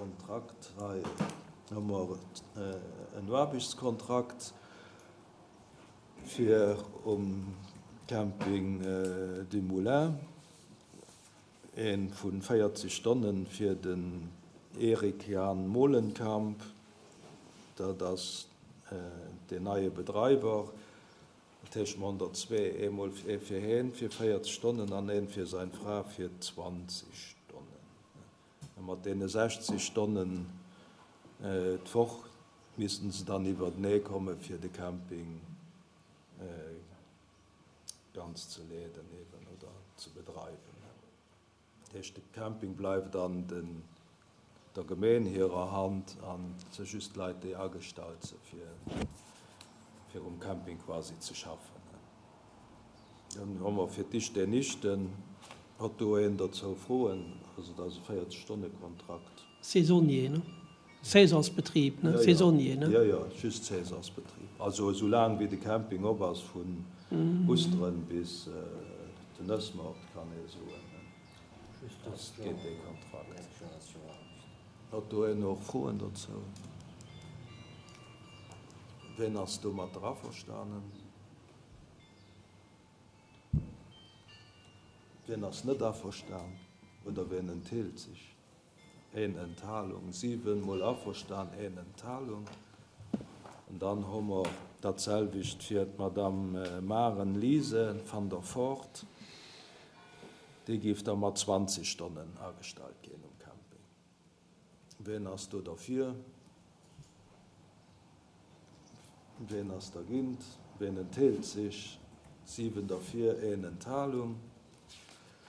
Kontrakt hei hu mer en Aarbechtskontrakt fir um Camping du Moulin, ee vu 40 Stonnen fir den Eric Jan Molenkamp, dat ass deen neie Bedreiwer. Dat heescht, mer hunn der zwee, eemol ee fir heen fir 40 Stonnen an een fir sein Fra fir 20 Stonnen. A mat deene 60 Stonnen d'Woch missten se dann iwwertenee komme fir de Camping ganz ze leeden eben oder ze bedreiwen. Dat heescht, de Camping bleift an der Gemeen hirer Hand an et si just Leit, déi agestallt si fir um Camping quasi ze schaffen. Dann hu mer fir d'Icht den Nichten. Huet do een dozou Froen? Also dat ass e 40 Stonne Kontrakt. Saisonnier, ne? Saisonsbetrib, ne? Saisonnier, ne? Jo, jo, just Saisonsbetrib. Also esou laang wéi de Camping op ass, vun Ousteren bis den Nëssmoart, kann ee soen, ass, geet dee Kontrakt. Huet do een och Froen dozou? Ween ass domatter averstanen? Wien ass net averstan oder wien entheelt sech? Een Enthalung. 7 mol averstan, een Enthalung. An dann hu mer datselwecht fir d'Madame Maren Lise van der Voort. Déi géif da mat 20 Stonnen agestallt ginn um Camping. Wien ass do derfir? Wien ass dergint? Wien entheelt sech? 7 derfir, een Enthalung.